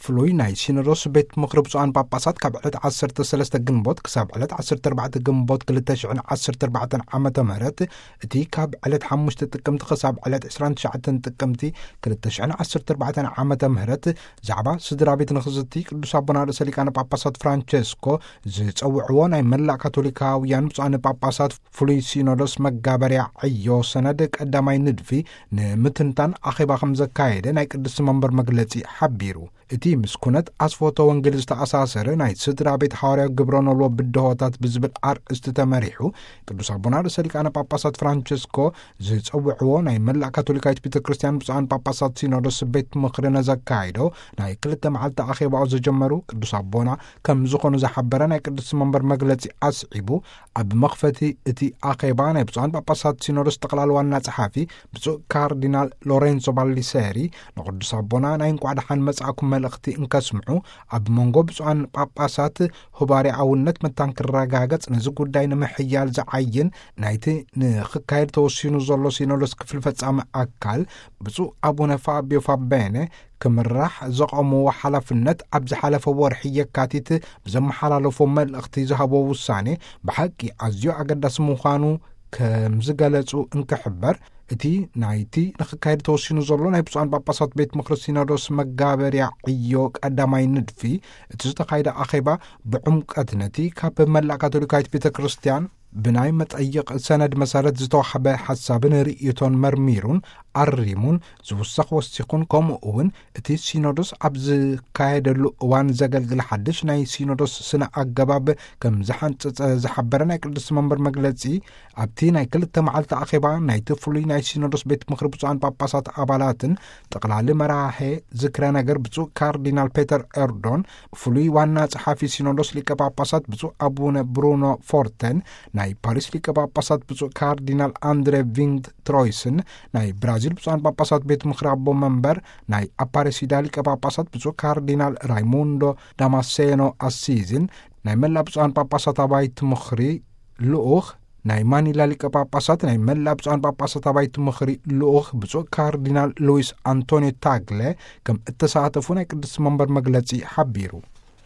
ፍሉይ ናይ ሲኖዶስ ቤት ምኽሪ ብፁዓን ጳጳሳት ካብ ዕለት ዓሰርተ ሰለስተ ግንቦት ክሳብ ዕለት ዓሰርተ ኣርባዕተ ግንቦት ክልተ ሽሕን ዓሰርተ ኣርባዕተን ዓመተ ምህረት፣ እቲ ካብ ዕለት ሓሙሽተ ጥቅምቲ ክሳብ ዕለት ዕስራን ትሽዓተን ጥቅምቲ ክልተ ሽሕን ዓሰርተ ኣርባዕተን ዓመተ ምህረት፣ ዛዕባ ስድራ ቤት ንኽዝቲ ቅዱስ ኣቦና ርእሰ ሊቃነ ጳጳሳት ፍራንቸስኮ ዝጸውዕዎ ናይ መላእ ካቶሊካውያን ብፁዓን ጳጳሳት ፍሉይ ሲኖዶስ መጋበርያ ዕዮ ሰነድ ቀዳማይ ንድፊ ንምትንታን ኣኼባ ከም ዘካየደ ናይ ቅድስቲ መንበር መግለጺ ሓቢሩ። እቲ ምስ ኩነት ኣስፎቶ ወንጌል ዝተኣሳሰረ ናይ ስድራ ቤት ሓዋርያዊ ግብረ ኖልዎ ብድሆታት ብዝብል ኣርእስቲ ተመሪሑ፣ ቅዱስ ኣቦና ርእሰ ሊቃነ ጳጳሳት ፍራንቸስኮ ዝጸውዕዎ ናይ መላእ ካቶሊካዊት ቤተ ክርስቲያን ብፁዓን ጳጳሳት ሲኖዶስ ቤት ምኽሪ ነዘካየዶ ናይ ክልተ መዓልቲ ኣኼባኦ ዝጀመሩ ቅዱስ ኣቦና ከም ዝኾኑ ዝሓበረ ናይ ቅድስቲ መንበር መግለጺ ኣስዒቡ፣ ኣብ መኽፈቲ እቲ ኣኼባ ናይ ብፁዓን ጳጳሳት ሲኖዶስ ጠቕላሊ ዋና ጸሓፊ ብፁዕ ካርዲናል ሎሬንሶ ባሊሴሪ ንቅዱስ ኣቦና ናይ እንቋዕ ደሓን መጻእኩም መልእኽቲ እንከስምዑ፣ ኣብ መንጎ ብፁዓን ጳጳሳት ህባርያውነት መታን ክረጋገጽ፣ ነዚ ጉዳይ ንምሕያል ዝዓይን ናይቲ ንኽካየድ ተወሲኑ ዘሎ ሲኖዶስ ክፍል ፈጻሚ ኣካል ብፁዕ ኣቡነ ፋቢዮ ፋቤነ ክምራሕ ዘቐምዎ ሓላፍነት፣ ኣብ ዝሓለፈ ወርሒ የካቲት ብዘመሓላለፎ መልእኽቲ ዝሃቦ ውሳኔ ብሓቂ ኣዝዩ ኣገዳሲ ምዃኑ ከም ዝገለጹ እንክሕበር፣ እቲ ናይቲ ንኽካየድ ተወሲኑ ዘሎ ናይ ብፁዓን ጳጳሳት ቤት ምኽሪ ሲኖዶስ መጋበርያ ዕዮ ቀዳማይ ንድፊ፣ እቲ ዝተኻየደ ኣኼባ ብዕምቀት ነቲ ካብ መላእ ካቶሊካዊት ቤተ ክርስቲያን ብናይ መጠይቕ ሰነድ መሰረት ዝተዋሕበ ሓሳብን ርእይቶን መርሚሩን ኣሪሙን ዝውሰኽ ወሲኹን፣ ከምኡ እውን እቲ ሲኖዶስ ኣብ ዝካየደሉ እዋን ዘገልግል ሓድሽ ናይ ሲኖዶስ ስነ ኣገባብ ከም ዝሓንጸጸ ዝሓበረ ናይ ቅድስቲ መንበር መግለጺ፣ ኣብቲ ናይ ክልተ መዓልቲ ኣኼባ ናይቲ ፍሉይ ናይ ሲኖዶስ ቤት ምኽሪ ብፁዓን ጳጳሳት ኣባላትን ጠቕላሊ መራሄ ዝክረ ነገር ብፁዕ ካርዲናል ፔተር ኤርዶን፣ ፍሉይ ዋና ጸሓፊ ሲኖዶስ ሊቀ ጳጳሳት ብፁዕ ኣቡነ ብሩኖ ፎርተን፣ ናይ ፓሪስ ሊቀ ጳጳሳት ብፁዕ ካርዲናል ኣንድሬ ቪንግ ትሮይስን፣ ናይ ብራዚል ብፁዓን ጳጳሳት ቤት ምኽሪ ኣቦ መንበር ናይ ኣፓሬሲዳ ሊቀ ጳጳሳት ብፁዕ ካርዲናል ራይሙንዶ ዳማሴኖ ኣሲዝን፣ ናይ መላእ ብፁዓን ጳጳሳት ኣባይቲ ምኽሪ ልኡኽ፣ ናይ ማኒላ ሊቀ ጳጳሳት ናይ መላእ ብፁዓን ጳጳሳት ኣባይቲ ምኽሪ ልኡኽ ብፁዕ ካርዲናል ሉዊስ ኣንቶኒዮ ታግለ ከም እተሳተፉ ናይ ቅድስቲ መንበር መግለጺ ሓቢሩ።